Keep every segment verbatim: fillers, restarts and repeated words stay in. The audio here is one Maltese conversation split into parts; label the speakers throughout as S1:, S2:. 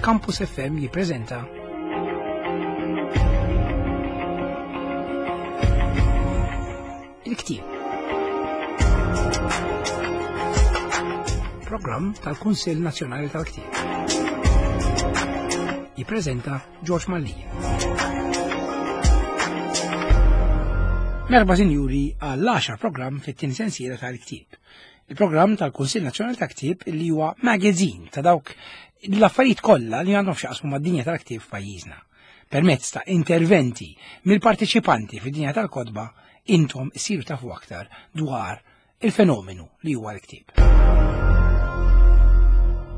S1: Campus F M jippreżenta Il-Ktieb. Programm tal-Kunsill Nazzjonali tal-Ktieb. Jippreżenta George Mallia. Merħba sinjuri għall-għaxar programm fit-tieni sensiela tal-Ktieb. Il-programm tal-Kunsill Nazzjonali tal-Ktieb li huwa magazine ta' dawk l-affarijiet kollha li għandhom x'jaqsmu mad-dinja tal-ktieb f'pajjiżna. Permezz ta' interventi mill-partiċipanti fid-dinja tal-kotba, intom issiru tafu aktar dwar il-fenomenu li huwa l-ktieb.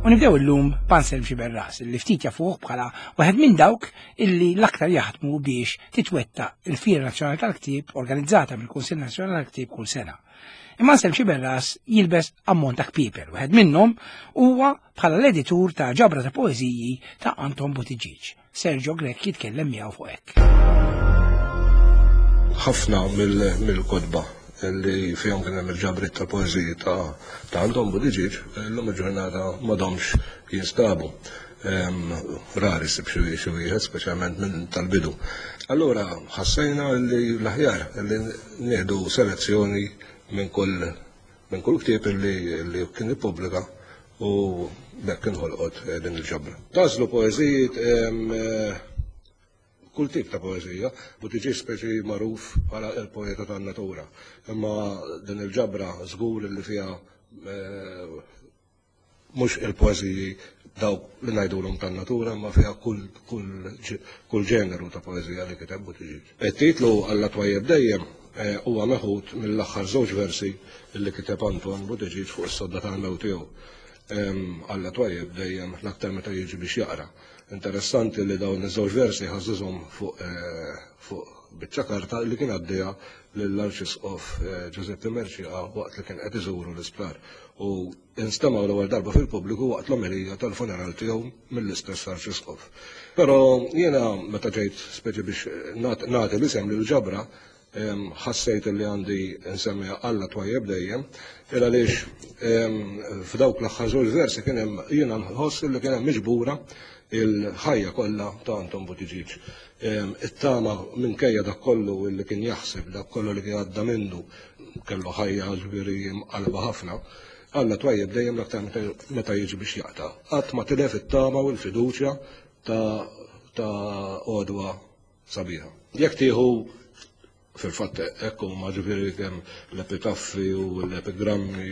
S1: U nibdew illum b'Anselm Sciberras, li ftit jafuh bħala wieħed minn dawk illi l-aktar jaħdmu biex titwettaq il-Fiera Nazzjonali tal-Ktieb organizzata mill-Kunsill Nazzjonali tal-Ktieb kull sena. Imma Anselm Sciberras jilbes ammont ta' kpiepel, wieħed minnhom huwa bħala l-editur ta' ġabra ta' poeżiji ta' Anton Buttigieg. Sergio Grech jitkellem miegħu fuq hekk.
S2: Ħafna mill-kotba li fihom kien hemm il-ġabriet ta' poeżiji ta' Anton Buttigieg illum il-ġurnata m'għadhomx jinstabu. Rari ssib xi wieħed, speċjalment minn tal-bidu. Allura ħassejna li l-aħjar li nieħdu selezzjoni minn kull minn kull ktieb li kien ippubblika u b'hekk inħolqot din il-ġabra. Tażlu poeżijiet kull tip ta' poeżija, Buttigieg speċi magħruf bħala il-poeta tan-natura. Imma din il-ġabra żgur li fiha mhux il-poeżiji dawk li ngħidulhom tan-natura, imma fiha kull ġeneru ta' poeżija li kiteb Buttigieg. It-titlu Alla Twajjeb Dejjem huwa meħud mill-aħħar żewġ versi li kiteb Anton Buttigieg fuq is-sodda tal-mewt tiegħu. Alla Twajjeb Dejjem l-aktar meta jiġi biex jaqra. Interessanti li dawn iż-żewġ versi ħażżhom fuq fuq biċċa karta li kien għaddejja lill-Arċisqof Giuseppe Mercieca waqt li kien qed iżuru l-isptar u instemgħu l-ewwel darba fil-pubbliku waqt l-omelija tal-funeral tiegħu mill-istess Arċisqof. Però jiena meta ġejt speċi biex nagħti l-isem lill-ġabra ħassejt li għandi nsemmiha Alla Twajjeb Dejjem, il għaliex f'dawk l-aħħar żewġ versi kien hemm jiena nħoss li kien hemm miġbura il-ħajja kollha ta' Anton Buttigieg. It-tama minkejja dak kollu li kien jaħseb, dak kollu li kien għadda minnu, kellu ħajja ġifieri mqalba ħafna. Alla Twajjeb Dejjem l-aktar meta jiġi biex jaqta'. Qatt ma tilef it-tama u l-fiduċja ta' għodwa sabiħa. Jekk tieħu fil-fatt hekk huma ġifieri kemm l-epitaffi u l-epigrammi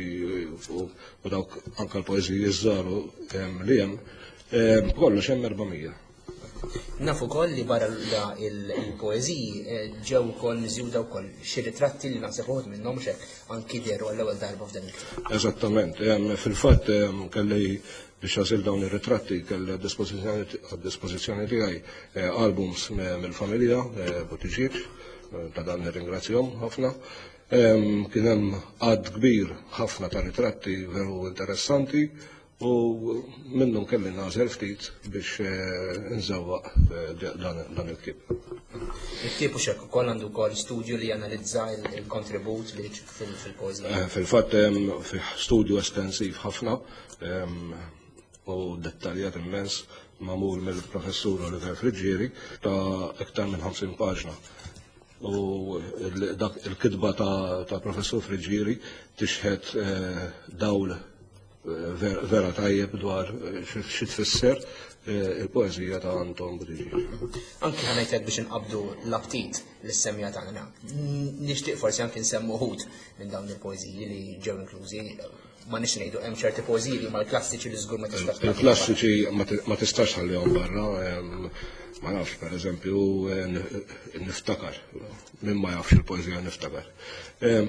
S2: u dawk anke l-poeżiji żgħar li hemm, kollox hemm erba' mija.
S3: Naf ukoll li barra il-poeżiji ġew ukoll miżjuda wkoll xi ritratti li naħseb uħud minnhom hekk anki dehru għall-ewwel darba f'dan il-ktieb.
S2: Eżattament, fil-fatt kelli biex għażil dawn ir-ritratti kelli għad-dispożizzjoni tiegħi albums mill-familja Buttigieg, ta' dan nirringrazzjahom ħafna. Kien hemm għadd kbir ħafna ta' ritratti veru interessanti u minnhom kelli nagħżel ftit biex nżewwaq dan il-ktieb.
S3: Il-ktieb hux hekk ukoll għandu wkoll studju li janalizza il-kontribut li fil-poeżija.
S2: Fil-fatt hemm fih studju estensiv ħafna u dettaljat immens magħmul mill-professur Oliver Friggieri ta' iktar minn ħamsin paġna. U dak il-kitba ta' professur Friggieri tixħet dawl vera tajjeb dwar xi tfisser il-poeżija ta' Anton Buttigieg.
S3: Anki ħanajtek biex inqabdu l-aptit lis-semja tagħna. Nixtieq forsi anki nsemmu wħud minn dawn il-poeżiji li ġew inklużi. Ma nix ngħidu hemm ċerti poeżiji li huma l-klassiċi li żgur ma tistax tħallihom
S2: Il-klassiċi ma tistax tħallihom barra, ma nafx, pereżempju niftakar, min ma jafx il-poeżija niftakar.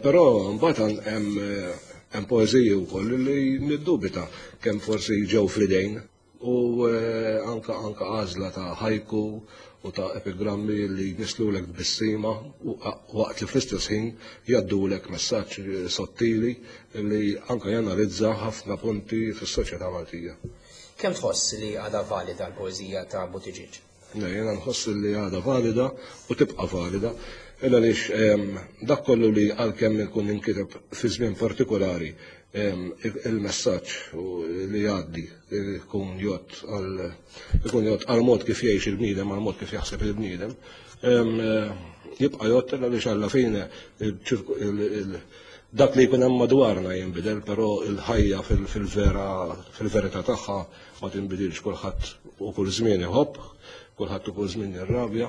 S2: Però mbagħad hemm poeżiji wkoll li niddubita kemm forsi ġew fl-idejn u anka anka għażla ta' ħajku u ta' epigrammi li jnislulek tbissima waqt li fl-istess ħin jgħaddulek messaġġ sottili li anka janalizza ħafna punti fis-soċjetà Maltija.
S3: Kemm tħoss li għadha valida l-poeżija ta' Buttigieg?
S2: Jiena nħoss li għadha valida u tibqa' valida. Illa għaliex dak kollu li għalkemm ikun inkiteb fi żmien partikolari, il-messaġġ li jgħaddi ikun jgħodd għal ikun jgħodd għal mod kif jgħix il-bniedem, għal mod kif jaħseb il-bniedem, jibqa' jgħodd, għaliex alla fine dak li jkun hemm madwarna jinbidel, però il-ħajja fil-vera fil-verità tagħha ma tinbidilx. Kulħadd u kull żmien iħobb, kulħadd u kull żmien jirrabja,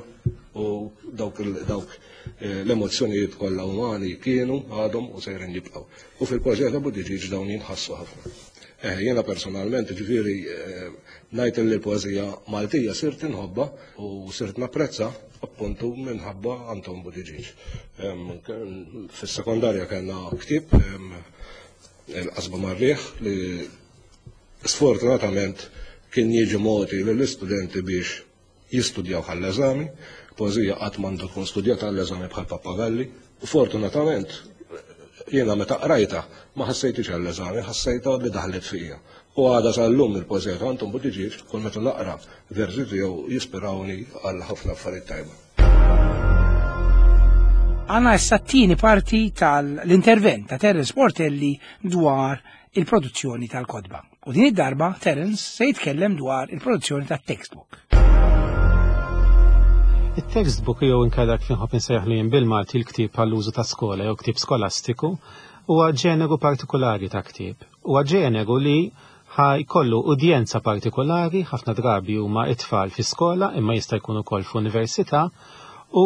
S2: u dawk dawk l-emozzjonijiet kollha umani kienu, għadhom u sejrin jibqgħu. U fil-poeżija ta' Buttigieg dawn jinħassu ħafna. Eh, jiena personalment, ġifieri, ngħid li l-poeżija Maltija sirt inħobba u sirt napprezza appuntu minħabba Anton Buttigieg. Fis-sekondarja kellna ktieb, Il-Qasba mar-Riħ, li sfortunatament kien jiġi mogħti lill-istudenti biex jistudjaw għall-eżami. Poeżija qatt m'għandu tkun studjata għall-eżami bħal pappagalli. Fortunatament jiena meta qrajta ma ħassejtix għall-eżami, ħassejta li daħlet fija. U għada sal-lum il-poeżija ta' Anton Buttigieg, kull meta naqra versi tiegħu, jispirawni għal ħafna affarijiet tajba.
S1: Għandna issa t-tieni parti tal-intervent ta' Terence Portelli dwar il-produzzjoni tal-kotba. U din id-darba Terence se jitkellem dwar il-produzzjoni tat-textbook.
S4: Il-textbook, jew inkella kif inħobb insejjaħlu jien bil-Malti l-ktieb għall-użu ta' skola jew ktieb skolastiku, huwa ġeneru partikolari ta' ktieb. Huwa ġeneru li ħa jkollu udjenza partikolari, ħafna drabi huma it-tfal fi skola imma jista' jkun ukoll f'università, u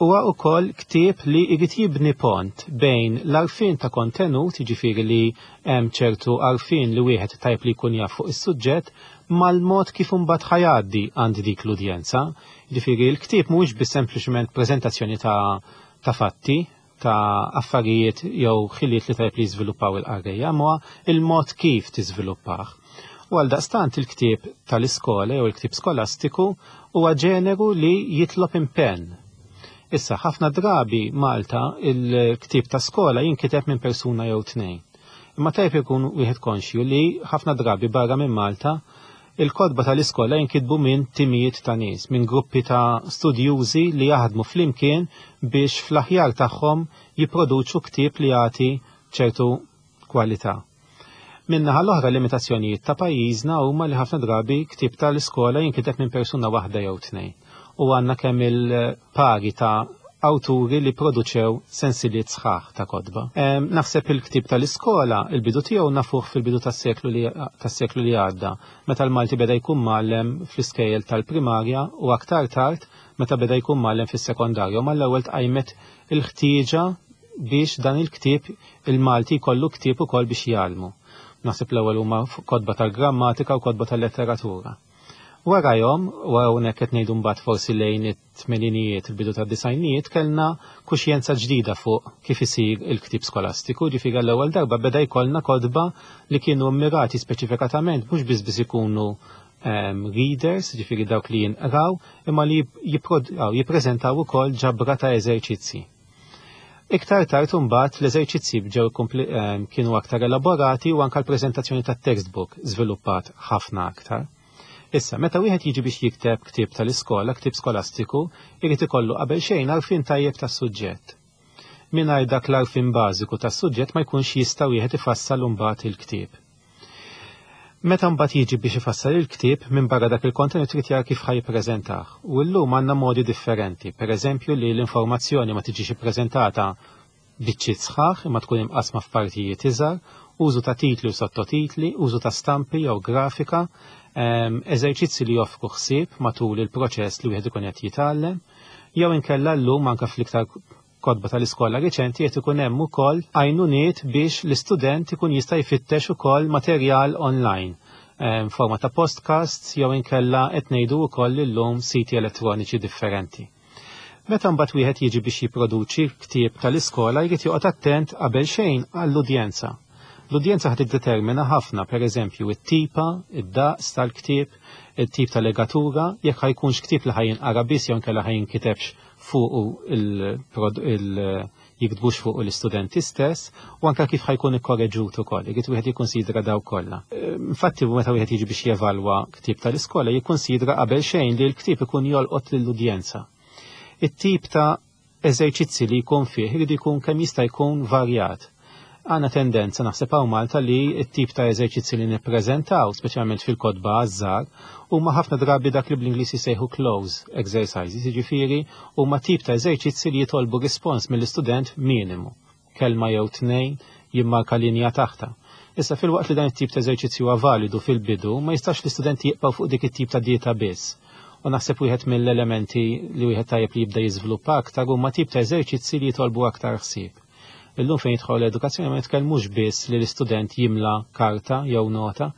S4: huwa wkoll ktieb li jrid jibni pont bejn l-għarfien ta' kontenut, jiġifieri li hemm ċertu għarfien li wieħed tajb li jkun jaf fuq is-suġġett, mal-mod kif imbagħad ħa jgħaddi għand dik l-udjenza. Jiġifieri l-ktieb mhuwiex biss sempliċement preżentazzjoni ta' ta' fatti, ta' affarijiet jew ħiliet li tajb li jiżviluppaw il-qarrejja, ma il-mod kif tiżviluppah. U għal daqstant il-ktieb tal-iskola jew il-ktieb skolastiku huwa ġeneru li jitlob impenn. Issa, ħafna drabi Malta il-ktieb ta' skola jinkiteb minn persuna jew tnejn. Imma tajb ikun wieħed konxju li ħafna drabi barra minn Malta il-kotba tal-iskola jinkitbu minn timijiet ta' nies, minn gruppi ta' studjużi li jaħdmu flimkien biex fl-aħjar tagħhom jipproduċu ktieb li jagħti ċertu kwalità. Min-naħa l-oħra, limitazzjonijiet ta' pajjiżna huma li ħafna drabi ktieb tal-iskola jinkiteb minn persuna waħda jew tnejn. U għandna kemm il-pagi ta' awturi li produċew sensiliet sħaħ ta' kotba. Naħseb il-ktieb tal-iskola, il-bidu tiegħu nafuh fil-bidu tas-seklu li tas-seklu li għadda, meta l-Malti beda jkun mgħallem fl-iskejjel tal-primarja u aktar tard meta beda jkun mgħallem fis-sekondarju. Mal-ewwel tqajmet il-ħtieġa biex dan il-ktieb il-Malti jkollu ktieb ukoll biex jgħallmu. Naħseb l-ewwel huma kotba tal-grammatika u kotba tal-letteratura. Warajhom, u hawnhekk qed ngħidu mbagħad forsi lejn it-tmeninijiet, il-bidu tad-disgħinijiet, kellna kuxjenza ġdida fuq kif isir il-ktieb skolastiku, ġifieri l-ewwel darba beda jkollna kotba li kienu mmirati speċifikatament mhux biss biss ikunu um, readers, ġifieri dawk li jinqraw, imma li jippreżentaw ukoll ġabra ta' eżerċizzi. Iktar tard imbagħad l-eżerċizzi bġew kienu aktar elaborati u anke l-preżentazzjoni tat-textbook żviluppat ħafna aktar. Issa, meta wieħed jiġi biex jikteb ktieb tal-iskola, ktieb skolastiku, irid ikollu qabel xejn għarfien tajjeb tas-suġġett. Mingħajr dak l-għarfien bażiku tas-suġġett ma jkunx jista' wieħed ifassal imbagħad il-ktieb. Meta mbagħad jiġi biex ifassal il-ktieb, minn barra dak il-kontenut trid jara kif ħa jippreżentah. U llum għandna modi differenti, pereżempju li l-informazzjoni ma tiġix ippreżentata biċċiet sħaħ imma tkun imqasma f'partijiet iżgħar, użu ta' titli u sottotitli, użu ta' stampi jew grafika, eżerċizzi li joffru ħsieb matul il-proċess li wieħed ikun qed jitgħallem, jew inkella llum anke fl-iktar kotba tal-iskola riċenti qed ikun hemm ukoll għajnuniet biex l-istudent ikun jista' jfittex ukoll materjal online forma ta' podcasts jew inkella qed ngħidu wkoll illum siti elettroniċi differenti. Meta mbagħad wieħed jiġi biex jipproduċi ktieb tal-iskola, jrid joqgħod attent qabel xejn għall-udjenza. L-udjenza ħad tiddetermina ħafna, pereżempju, it-tipa, id-daqs tal-ktieb, it-tip ta' legatura, jekk ħa jkunx ktieb li ħa jinqara biss jew inkella ħa jinkitebx fuq il jiktbux fuq l-istudenti stess, u anke kif ħa jkun ikkorreġut ukoll, irid wieħed jikkonsidra daw kollha. Infatti meta wieħed jiġi biex jevalwa ktieb tal-iskola jikkonsidra qabel xejn li l-ktieb ikun jolqot lill-udjenza. It-tip ta' eżerċizzi li jkun fih irid jkun kemm jista' jkun varjat. Għandna tendenza naħseb hawn Malta li t-tip ta' eżerċizzi li nippreżentaw, speċjalment fil-kotba għaż-żgħar, huma ħafna drabi dak li bl-Ingliż jisejħu cloze exercises, jiġifieri huma tip ta' eżerċizzi li jitolbu rispons mill-istudent minimu, kelma jew tnejn, jimmarka linja taħta. Issa filwaqt li dan it-tip ta' eżerċizzju huwa validu fil-bidu, ma jistax l-istudenti jibqgħu fuq dik it-tip ta' dieta biss. U naħseb wieħed mill-elementi li wieħed tajjeb li jibda jiżviluppa aktar huma tip ta' eżerċizzi li jitolbu aktar ħsieb. Illum fejn jidħol l-edukazzjoni ma nitkellmux biss li l-istudent jimla karta jew nota,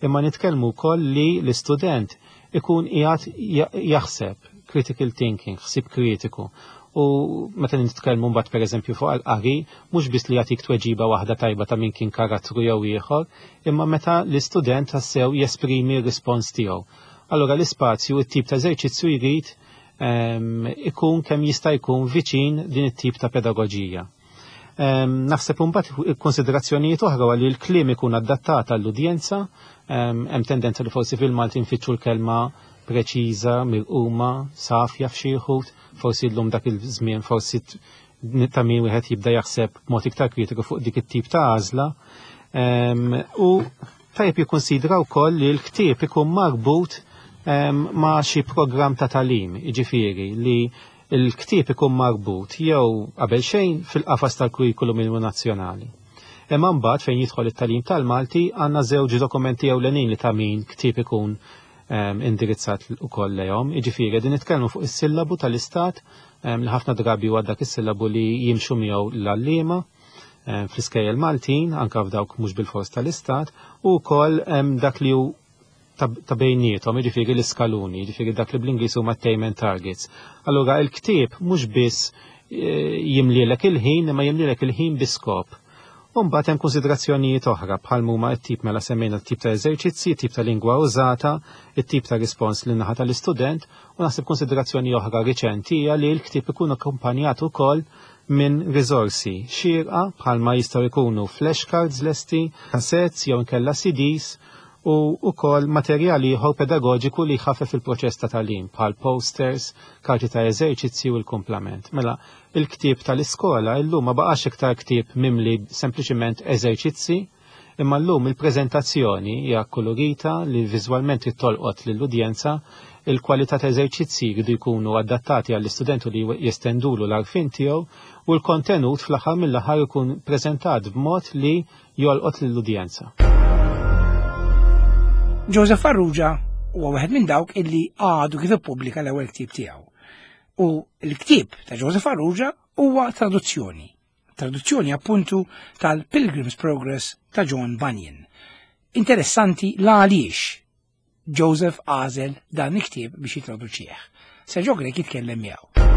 S4: imma nitkellmu wkoll li l-istudent ikun qiegħed jaħseb, critical thinking, ħsieb kritiku. U meta nitkellmu mbagħad pereżempju fuq il-qari, mhux biss li jagħtik tweġiba waħda tajba ta' min kien karattru jew ieħor, imma meta l-istudent tassew jesprimi r-rispons tiegħu. Allura l-ispazju, it-tip ta' eżerċizzju jrid ehm, ikun kemm jista' jkun viċin din it-tip ta' pedagoġija. Ehm, naħseb imbagħad konsiderazzjonijiet oħra li l-kliem ikun adattat għall-udjenza, ehm, hemm tendenza li forsi fil-Malti nfittxu l-kelma preċiża, mirquma, safja f'xi wħud, forsi llum dak il-żmien forsi ta' min wieħed jibda jaħseb b'mod iktar kritiku fuq dik it-tip ta' għażla. Ehm, u tajjeb jikkonsidra wkoll li l-ktieb ikun marbut ma' xi programm ta' tagħlim, jiġifieri li l-ktieb ikun marbut jew qabel xejn fil-qafas tal-kurrikulum minimu nazzjonali. Imma mbagħad fejn jidħol it-tagħlim tal-Malti għandna żewġ dokumenti ewlenin li ta' min ktieb ikun ehm, indirizzat ukoll lejhom. Jiġifieri qegħdin nitkellmu fuq is-sillabu tal-istat ehm, li ħafna drabi huwa dak is-sillabu li jimxu miegħu l-għalliema ehm, fl-iskejjel Maltin, anke f'dawk mhux bil-fors tal-istat, u wkoll dak li hu ta' bejniethom, jiġifieri l-iskaluni, jiġifieri dak li bl-Ingliż huma attainment targets. Allura il-ktieb mhux biss eh, jimlielek il-ħin, imma jimlielek il-ħin bi skop. U mbagħad hemm konsiderazzjonijiet oħra bħal huma t-tip mela semmejna t-tip ta' eżerċizzi, t-tip ta' lingwa użata, it-tip ta' rispons lin naħa tal-istudent, u naħseb konsiderazzjoni oħra riċenti hija li l-ktieb ikun akkumpanjat ukoll minn riżorsi xierqa bħalma jistgħu jkunu flashcards lesti, cassettes jew inkella C Ds u wkoll materjali ieħor pedagoġiku li jħaffef il-proċess ta' tagħlim bħal posters, karti ta' eżerċizzi u l-kumplament. Mela, il-ktieb tal-iskola illum ma baqax iktar ktieb mimli sempliċiment eżerċizzi, imma llum il-preżentazzjoni hija kolorita li viżwalment tolqot lill-udjenza, il-kwalità ta' eżerċizzi jridu jkunu adattati għall-istudentu li jestendulu l-għarfien tiegħu u l-kontenut fl-aħħar mill-aħħar ikun preżentat b'mod li jolqot lill-udjenza.
S1: Joseph Farrugia huwa wieħed minn dawk illi għadu kif ippubblika l-ewwel ktieb tiegħu. U l-ktieb ta' Joseph Farrugia huwa traduzzjoni. Traduzzjoni appuntu tal-Pilgrim's Progress ta' John Bunyan. Interessanti la għaliex Joseph għażel dan il-ktieb biex jitraduċih. Sergio Grech jitkellem miegħu.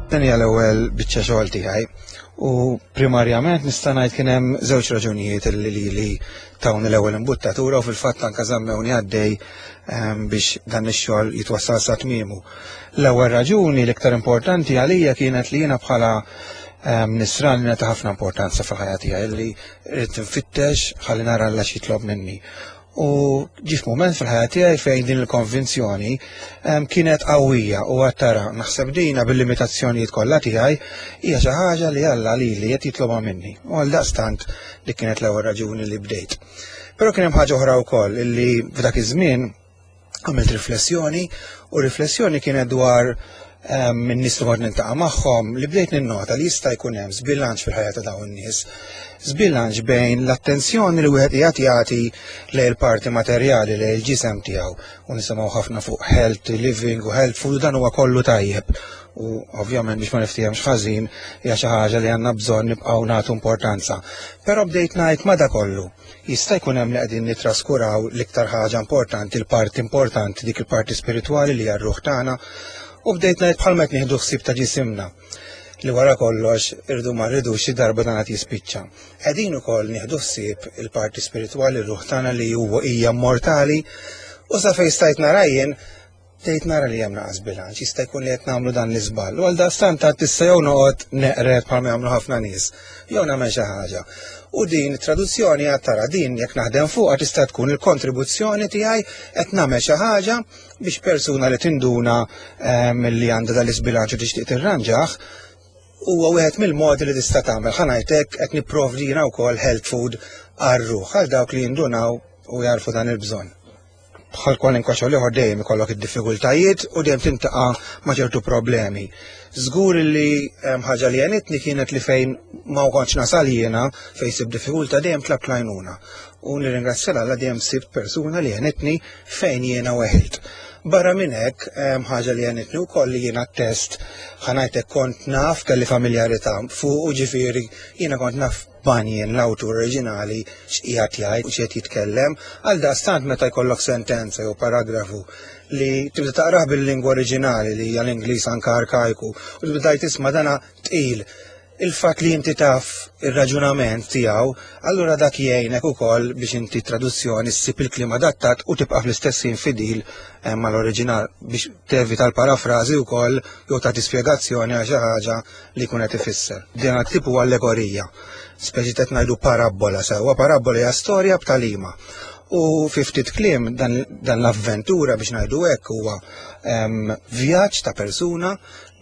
S5: Dan hija l-ewwel biċċa xogħol tiegħi u primarjament nista' ngħid kien hemm żewġ raġunijiet li li li tawni l-ewwel imbuttatura u fil-fatt anke żammewni għaddej ehm, biex dan ix-xogħol jitwassal sa tmiemu. L-ewwel raġuni l-iktar importanti għalija kienet li jiena bħala ehm, nisrani nagħti ħafna importanza fil-ħajja tiegħi li rrid nfittex ħalli nara Alla x'jitlob minni. U ġie moment fil-ħajja tiegħi fejn din il-konvinzjoni em, kienet qawwija u għattara naħseb dina bil-limitazzjonijiet kollha tiegħi hija xi ħaġa li Alla lili qed jitlobha minni. U għal daqstant li kienet l-ewwel raġuni li bdejt. Però kien hemm ħaġa oħra wkoll illi f'dak iż-żmien għamilt riflessjoni u riflessjoni kienet dwar minn nies li kont niltaqa' magħhom li bdejt ninnota li jista' jkun hemm żbilanċ fil-ħajja ta' dawn in-nies. Żbilanċ bejn l-attenzjoni li wieħed qiegħed jagħti lejn il-parti materjali, lejn il-ġisem tiegħu, u nisimgħu ħafna fuq healthy living u health food, dan huwa kollu tajjeb. U ovvjament biex ma niftihemx ħażin, hija xi ħaġa li għandna bżonn nibqgħu nagħtu importanza. Però bdejt ngħid ma da kollu jista' jkun hemm li qegħdin nitraskuraw l-iktar ħaġa importanti, il-parti importanti, dik il-parti spiritwali li hija r-ruħ tagħna. U bdejt ngħid bħalma qed nieħdu ħsieb ta' ġisimna li wara kollox irdu ma rridux xi darba dan qed jispiċċa. Qegħdin ukoll nieħdu ħsieb il-parti spiritwali, r-ruħ tagħna li huwa hija mortali, u sa fejn stajt nara jien Tgħid nara li hemm naqas bilanċ, jista' jkun li qed nagħmlu dan l-iżball. U għal daqstant ta' tista' jew noqgħod neqred bħalma jagħmlu ħafna nies, jew nagħmel xi ħaġa. U din traduzzjoni għad tara din jekk naħdem fuqha tista' tkun il-kontribuzzjoni tiegħi qed nagħmel xi ħaġa biex persuna li tinduna ehm, li għandha dal-isbilanċ u tixtieq tirranġah huwa wieħed mill-modi li tista' tagħmel. Ħa ngħidlek qed nipprovdi jiena wkoll health food għar-ruħ għal dawk li jindunaw u jarfu dan il-bżonn. Bħal kwalinkwa xogħol ieħor dejjem ikollok id-diffikultajiet u dejjem tintaqa' ma' ċertu problemi. Żgur li hemm ħaġa li għenitni kienet li fejn ma kontx nasal jiena fejn sib diffikultà dejjem tlabt l-għajnuna. U nirringrazzja Alla dejjem sibt persuna li għenitni fejn jiena weħilt. Barra minn hekk hemm ħaġa li għenitni wkoll li jiena t-test ħa ngħidlek kont naf kelli familjarità fuq u ġifieri jiena kont naf Bunyan l-awtur oriġinali x'qiegħed jgħid u x'qed jitkellem, għal daqstant meta jkollok sentenza jew paragrafu li tibda taqrah bil-lingwa oriġinali li hija l-Ingliż anke arkajku u tibda tisma' dana tqil. Il-fatt li inti taf ir-raġunament tiegħu, allura dak jgħinek ukoll biex inti traduzzjoni ssib il-kliem adattat u tibqa' fl-istess ħin fidil, eh, mal-oriġinal biex tevita l-parafrażi wkoll jew tagħti spjegazzjoni għal xi ħaġa li jkun qed ifisser. Din tip huwa allegorija, speċi qed ngħidu parabbola sewwa, parabbola hija storja b'talima. U fi ftit kliem dan, dan l-avventura biex ngħidu hekk huwa, em, vjaġġ ta' persuna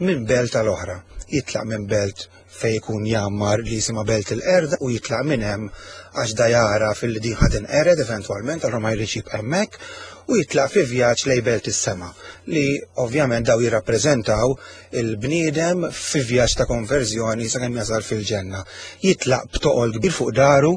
S5: minn belt tal-oħra. Jitlaq minn belt fej jkun jammar li jisimha Belt il-Qerda u jitlaq minn hemm għax da jara fil-li din ħa tinqered eventwalment, allura ma jridx jibqa' hemmhekk, u jitlaq fi vjaġġ lejn Belt is-Sema li ovvjament daw jirrappreżentaw il-bniedem fi vjaġġ ta' konverżjoni sakemm jasal fil-ġenna. Jitlaq b'toqol kbir fuq daru,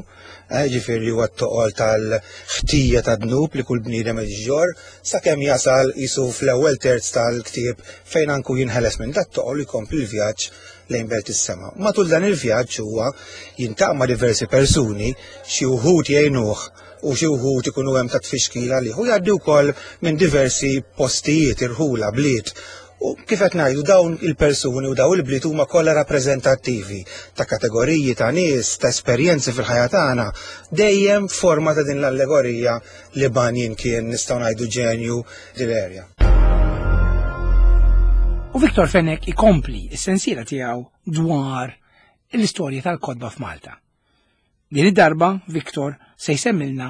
S5: eh, ġifieri huwa t-toqol tal-ħtija ta' dnub li kull bniedem iġġor, sakemm jasal jisu fl-ewwel terz tal-ktieb fejn anku jinħeles minn dat toqol u jkompli l-vjaġġ lejn Belt is-Sema. Matul dan il-vjaġġ huwa jintaqa' ma' diversi persuni, xi wħud jgħinuh u xi wħud ikunu hemm ta' tfixkila għalih, u jgħaddi wkoll minn diversi postijiet, irħula, bliet. U kif qed ngħidu dawn il-persuni u dawn il-bliet huma kollha rappreżentattivi ta' kategoriji ta' nies, ta' esperjenzi fil-ħajja tagħna, dejjem forma ta' din l-allegorija li Bunyan kien nistgħu ngħidu ġenju dil-erja.
S1: U Victor Fenech ikompli s-sensiela tiegħu dwar l-istorja tal-kotba f'Malta. Din id-darba Victor se jsemmilna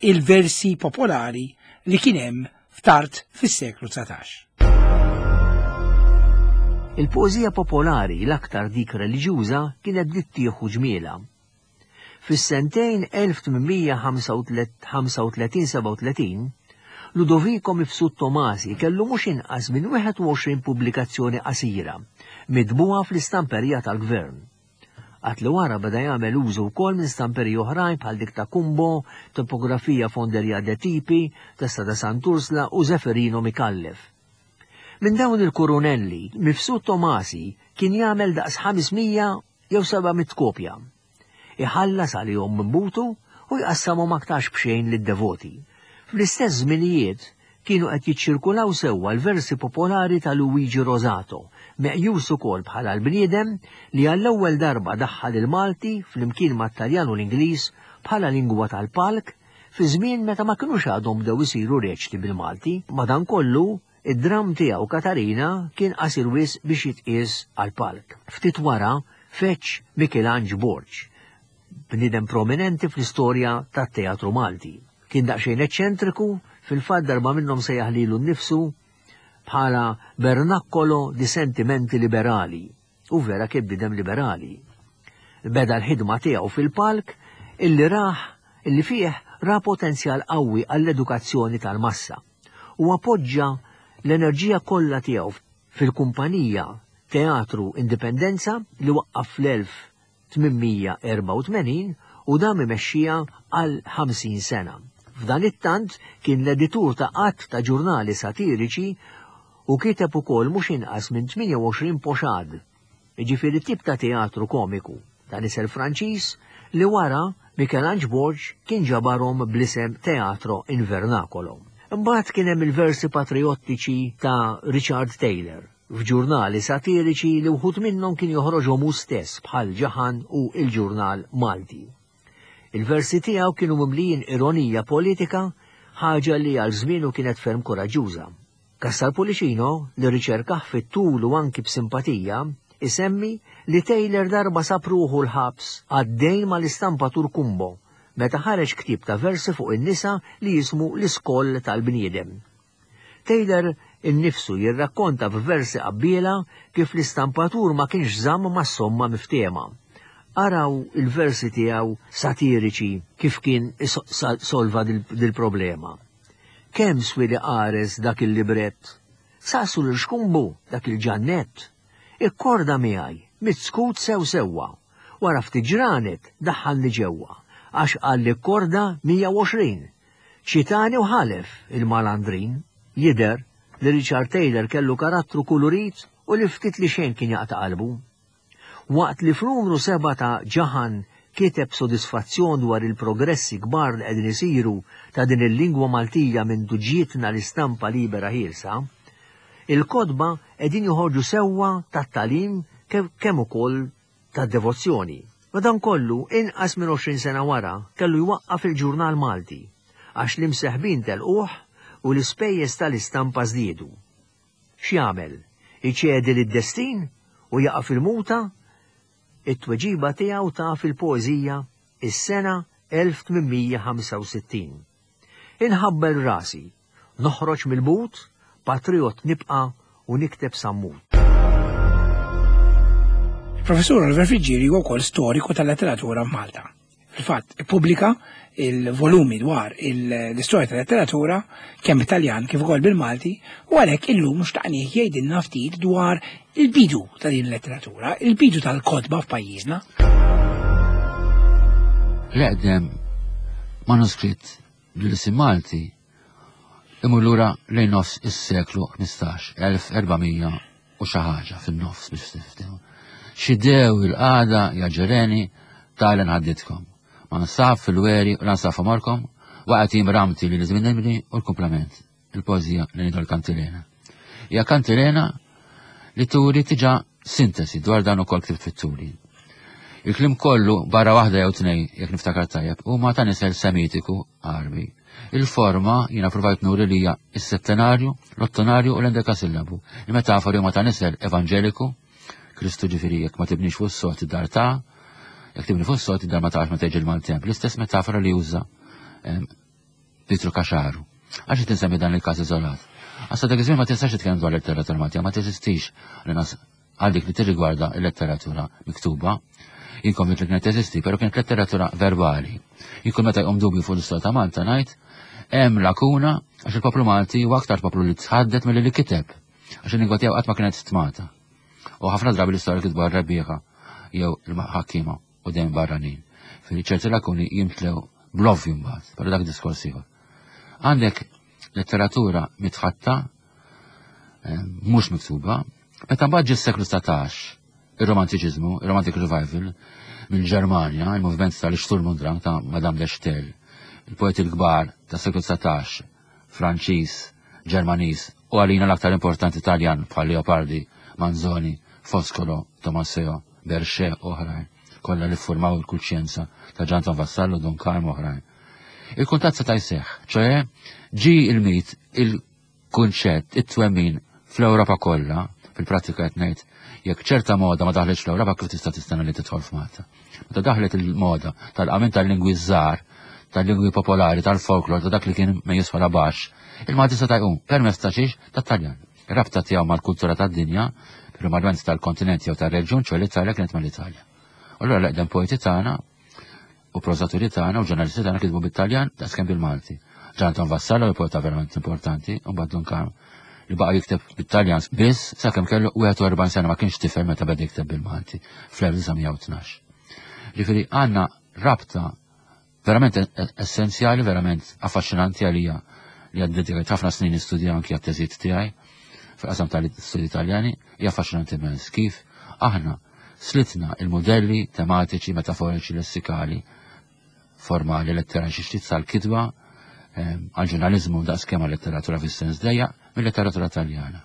S1: il-versi popolari li kien hemm f'tard fis-seklu dsatax.
S6: Il-poeżija popolari l-aktar dik reliġjuża kienet bdiet tieħu ġmiela. Fis-sentejn elf tmien ħamsa u tletin seba' u tletin, Ludovico Mifsud Tomasi kellu mhux inqas minn wieħed u għoxrin pubblikazzjoni qasira mitbuha fl-istamperija tal-gvern. Għad li wara beda jagħmel użu wkoll minn stamperiji oħrajn bħal dik ta' Cumbo, Topografija Fonderia de Tipi, Testa ta' Sant'Ursla u Zeferino Micallef. Minn dawn il-kurunelli, Mifsud Tomasi kien jagħmel daqs ħames mija jew seba' mitt kopja. Iħallas għalihom minn butu u jqassamhom aktarx b'xejn lid-devoti. Fl-istess żminijiet kienu qed jiċċirkulaw sewwa l-versi popolari ta' Luigi Rosato, meqjus ukoll bħala l-bniedem li għall-ewwel darba daħħal il-Malti flimkien mat-Taljan u l-Ingliż bħala lingwa tal-palk fi żmien meta ma kinux għadhom bdew isiru reċti bil-Malti. Madankollu, id-dram tiegħu Katarina kien qasir wisq biex jitqies għall-palk. Ftit wara feċ Michelangelo Borg, bniedem prominenti fl-istorja tat-teatru Malti. Kien daqsxejn eċċentriku, fil-fatt darba minnhom sejjaħ lilu nnifsu bħala Bernaccolo di sentimenti liberali, u vera kien bniedem liberali. Beda l-ħidma tiegħu fil-palk illi raħ illi fih ra potenzjal qawwi għall-edukazzjoni tal-massa u appoġġa l-enerġija kollha tiegħu fil-kumpanija Teatru Indipendenza li waqqaf fl-elf tmien mija erbgħa u tmenin u dam imexxija għal ħamsin sena. F'dan it-tant kien l-editur ta' qatt ta' ġurnali satiriċi u kiteb ukoll mhux inqas minn tmienja u għoxrin poxad, jiġifieri tip ta' teatru komiku ta' nisel Franċiż li wara Michelangelo Borg kien ġabarhom bl-isem Teatro Invernacolo. Imbagħad kien hemm il-versi patriottiċi ta' Richard Taylor f'ġurnali satiriċi li wħud minnhom kien joħroġhom hu stess bħal Ġaħan u il-Ġurnal Malti. Il-versi tiegħu kienu mimlijin ironija politika, ħaġa li għal żmienu kienet ferm koraġġuża. Cassar Pullicino, li riċerkah fit-tul u anki b'simpatija, isemmi li Taylor darba sab ruħu l-ħabs għaddejn mal-istampatur Cumbo meta ħareġ ktieb ta' versi fuq in-nisa li jismu L-Iskoll tal-Bniedem. Taylor innifsu jirrakkonta f'versi qabbiela kif l-istampatur ma kienx żamm mas-somma miftehma. Araw il-versi tiegħu satiriċi kif kien solva dil-problema. Kemm swieli qares dak il-librett? Saqsu lil Xkumbu dak il-ġannett. Ikkorda miegħi, mit-skut sew sewwa. Wara ftit ġranet daħħalni ġewwa, għax qalli kkorda mija u għoxrin. Ċitani u ħalef il-malandrin. Jidher li Richard Taylor kellu karattru kulurit u li ftit li xejn kien jaqta' qalbu. Waqt li f'numru seba' ta' Ġaħan kiteb sodisfazzjon dwar il-progressi kbar li qegħdin isiru ta' din il-lingwa Maltija minn ġietna l-istampa libera ħielsa, il-kotba qegħdin joħorġu sewwa tat-tagħlim kemm ukoll tad-devozzjoni. Madankollu, inqas minn għoxrin sena wara kellu jwaqqaf il-ġurnal Malti għax l-imseħbin telquh u l-ispejjeż tal-istampa żdiedu. X'jagħmel? Iċedi lid-destin u jaqa' fil-muta? It-tweġiba tiegħu ta' fil-poeżija is-sena elf tmien mija ħamsa u sittin. Inħabbel rasi, noħroġ mill-but, patriot nibqa' u nikteb sammut.
S1: Professur Oliver Friggieri huwa wkoll storiku tal-letteratura f'Malta. Fil-fatt, ippubblika il-volumi dwar l-istorja tal-letteratura kemm Italjan kif ukoll bil-Malti, u għalhekk illum xtaqnieh jgħidilna ftit dwar il-bidu ta' din il-letteratura, il-bidu tal-kotba f'pajjiżna.
S7: L-eqdem manuskritt bl-isim Malti imur lura lejn nofs is-seklu ħmistax, elf erbamija u xi ħaġa fin-nofs biex tiftiehmu. Xidew il-qagħda ja ġereni talen ħadditkom. Ma nsaf fil-weri u lansaf għomorkom, waqgħet jiem ramti li l-żmien nibni u l-komplement, il-poeżija li ngħidu l-kantilena. Hija kantilena li turi tiġa sintesi dwar dan ukoll ktibt fit-turi. Il-klim kollu barra waħda jew tnejn, jekk niftakar tajjeb, huma ta' nisel semitiku Għarbi. Il-forma jiena provajt nuri li hija is-settenarju, l-ottonarju u l-endekasillabu. Il-metafori huma ta' nisel evanġeliku, Kristu ġifieri jekk ma tibnix fuq is-sod id-dar ta', jekk tibni fuq is-sod id-dar ma taqax ma teġi l-maltemp. L-istess metafora li juża, ehm, Pietru Caxaru. Għax qed insemmi dan il-każ iżolat. Għax dak iż-żmien ma tistax titkellem dwar letteratura Maltija, ma teżistix għal dik li tirrigwarda l-letteratura miktuba. Jien konvint li kienet teżisti, però kienet letteratura verbali. Jien kull meta jqum dubju fuq l-istorja ta' Malta ngħid hemm lakuna għax il-poplu Malti huwa aktar poplu li tħaddet milli li kiteb, għax il-lingwa tiegħu qatt ma kienet stmata. U ħafna drabi l-istorja kitbu r-rebbieħa jew il-ħakkiema u dejjem barranin. Fil ċerti lakuni jimtlew bl-ovvju mbagħad, però dak diskors ieħor. Għandek letteratura mitħatta, eh, mhux miktuba, meta mbagħad ġie s-seklu satax, ir-romantiċiżmu, ir-Romantic Revival, mill-Ġermanja, il-moviment tal-Sturm und Drang ta' Madame de Staël, il-poeti l-kbar ta' seklu satax, Franċiż, Ġermaniż, u għalina l-aktar importanti Taljan bħal Leopardi, Manzoni, Foscolo, Tommaseo, Berchet u oħrajn, kollha li ffurmaw il-kuxjenza ta' Ġanton Vassallo, Dun Karm u oħrajn. Il-kuntatt seta' jseħħ, ċoħe ġi il-mit, il-kunċett, it-twemmin fl-Ewropa kollha, fil-prattika qed ngħid, jekk ċerta moda ma daħletx fl-Ewropa kif tista' tistenna li tidħol f'Malta. Meta daħlet il-moda tal-qamin tal-lingwi żgħar, tal-lingwi popolari, tal-folklor, ta' dak li kien meqjus bħala baxx, il-Malti seta' jqum permezz ta' xiex tat-Taljan. Ir-rabta tiegħu mal-kultura tad-dinja, primarjament tal-kontinent jew tar-reġjun, ċoħe l-Italja kienet mal-Italja. U allura l-eqdem poeti tagħna u prożaturi tagħna u ġurnalisti tagħna kitbu bit-Taljan daqskemm bil-Malti. Ġanton Vassallo, poeta verament importanti, u mbagħad Dun Karm li baqa' jikteb bit-Taljan biss sakemm kellu wieħed u erbgħin sena, ma kienx tifel meta beda jikteb bil-Malti fl-elf disa' mija u tnax. Ġifieri għandna rabta verament e-, e-, essenzjali, verament affaxxinanti għalija li għaddedikajt ħafna snin nistudja anki għat-teżijiet tiegħi fil-qasam tal-istudji Italjani, hija affaxxinanti immens kif aħna slitna il-modelli tematiċi, metaforiċi, lessikali, formali, letterali, xi ftit sal-kitba, ehm, għal-ġurnalizmu da' skema letteratura fis-sens dejja mill-letteratura Taljana.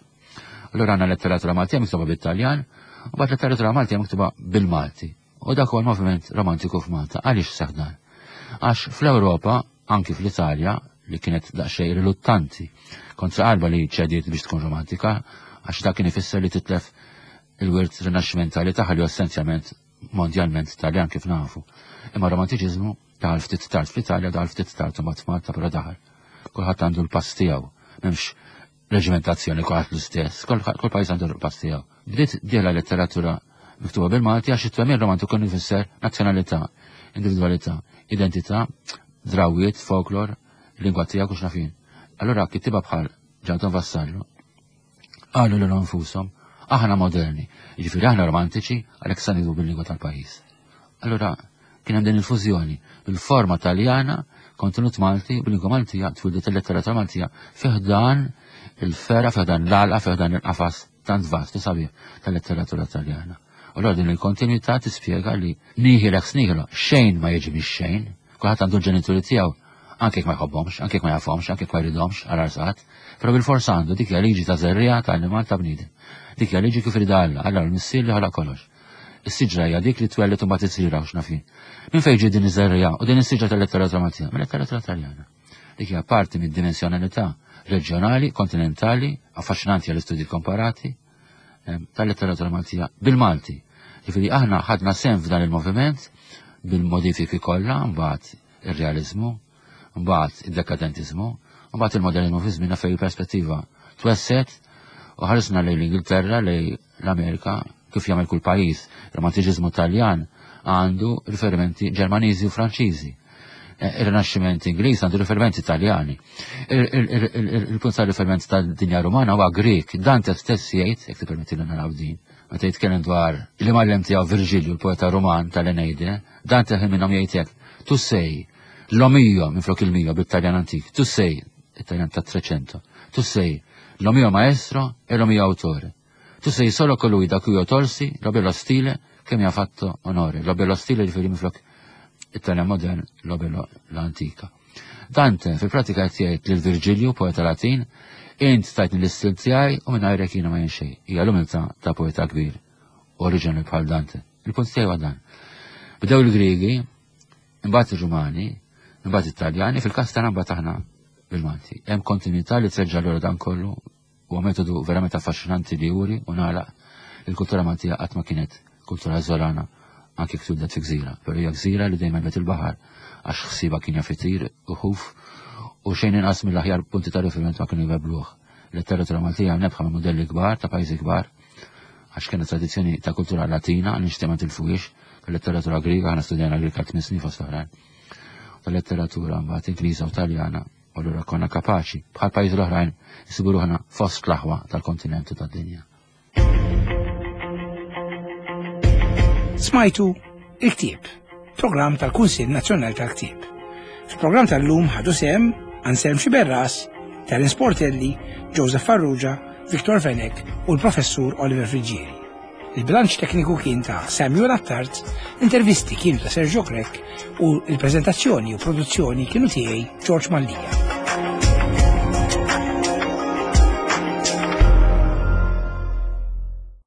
S7: Allura għandna letteratura Maltija miktuba bit-Taljan, u mbagħad letteratura Maltija miktuba bil-Malti. U dak huwa l-moviment romantiku f'Malta. Għaliex seħħ dan? Għax fl-Ewropa, anki fl-Italja, li kienet daqsxejn riluttanti kontra qalba li ċediet biex tkun romantika, għax dak kien ifisser li titlef il-wirt rinaxximentali tagħha li essenzjalment mondjalment Taljan kif nafu. Imma romantiċiżmu daħal ftit tard fl-Italja, daħal ftit tard imbagħad f'Malta, però daħal. Kulħadd għandu l-pass tiegħu, m'hemmx reġimentazzjoni, kulħadd l-istess, kull pajjiż għandu l-pass tiegħu. Bdiet dieħla letteratura miktuba bil-Malti għax it-twemmin romantiku kien ifisser nazzjonalità, individwalità, identità, drawiet, folklor, lingwa tiegħek u x'naf jien. Allura kittiba bħal Ġanton Vassallo qalu lilhom infushom, aħna moderni, jiġifieri aħna romantiċi, għalhekk sa niktbu bil-lingwa tal-pajjiż. Allura kien hemm din il-fużjoni bil-forma Taljana, kontenut Malti, bil-lingwa Maltija, twildet il-letteratura Maltija fi ħdan il-fera, fi ħdan l-għalqa, fi ħdan il-qafas tant vast u sabiħ tal-letteratura Taljana. U allura din il-kontinuità tispjega li nihil ex nihilo, xejn ma jiġi mix xejn, kulħadd għandu l-ġenituri tiegħu, anke jekk ma jħobbhomx, anke jekk ma jafhomx, anke jekk ma jridhomx, għal arsat, però bil-forsa għandu. Dik hija liġi ta' żerriegħa ta' annimal, ta' bniedem. Dik hija liġi kif irida Alla, Alla l-missier li ħalaq kollox. Is-siġra hija dik li twellet u mbagħad isira u x'naf jien. Minn fejn ġie din iż-żerriegħa u din is-siġra tal-letteratura Maltija? Mill-letteratura Taljana. Dik hija parti mid-dimensjonalità reġjonali, kontinentali, affaxxinanti għall-istudji komparati tal-letteratura Maltija bil-Malti. Ġifieri aħna ħadna sehem f'dan il-moviment bil-modifiki kollha, mbagħad ir-realizmu, mbagħad id-dekadentizmu, mbagħad il-modernizmu fi żmienna fejn il-perspettiva twesset u ħarisna lejn l-Ingilterra, lejn l-Amerika, kif jagħmel kull pajjiż. Romantiċiżmu Taljan għandu riferimenti Ġermaniżi u Franċiżi. Il-Rinaxximent Ingliż għandu riferimenti Taljani. Il-punt ta' riferiment tad-dinja Rumana huwa Grek. Dante stess jgħid, jekk tippermetti li naraw din, meta jitkellem dwar li mgħallem tiegħu Virgilju, l-poeta Ruman tal-Eneide, Dante ħin minnhom jgħid hekk: "Tu sei lo mio", minflok il-mio bit-Taljan antik, tu sei, it-Taljan ta' Trecento, "tu sei lo mio maestro e lo mio autore. Tu sei solo colui da cui io tolsi lo bello stile che mi ha fatto onore." Lo bello stile riferi minflok it-Taljan modern, lo bello l-antika. Dante fil-pratika qed jgħid lil Virgilju, poeta Latin, int tajtni l-istil tiegħi u mingħajrek jiena ma jien xejn. Hija l-umiltà ta' poeta kbir, oriġinali bħal Dante. Il-punt tiegħi huwa dan. Bdew il-Griegi, imbagħad ir-Rumani, imbagħad it-Taljani, fil-każ tagħna mbagħad aħna bil-Malti. Hemm kontinuità li treġġa' lura dan kollu, huwa metodu verament affaxxinanti li juri u nagħlaq il-kultura Maltija qatt ma kienet kultura żolana, anke jekk twildet fi gżira, però hija gżira li dejjem għelbet il-baħar għax ħsiba kien jaf itir u ħuf u xejn inqas mill-aħjar punti ta' riferiment ma kienu jwebbluh. Letteratura Maltija nebħa minn modelli kbar ta' pajjiżi kbar għax kienet tradizzjoni ta' kultura Latina nixtieq ma tilfuhiex, tal-letteratura Griega, aħna studjana Griega tmien snin fost oħrajn, tal-letteratura mbagħad Ingliża u Taljana, u allura konna kapaċi bħal pajjiżi l-oħrajn nsibu ruħna fost l-aħwa tal-kontinent u tad-dinja.
S1: Smajtu Il-Ktieb, programm tal-Kunsill Nazzjonali tal-Ktieb. Fil-programm tal-lum ħadu sehem Anselm Sciberras, Terence Portelli, Joseph Farrugia, Victor Fenech u l-Professur Oliver Friggieri. Il-bilanċ tekniku kien ta' Samuel Attard, l-intervisti kienu ta' Sergio Grech u l-prezentazzjoni u produzzjoni kienu tiegħi, George Mallia.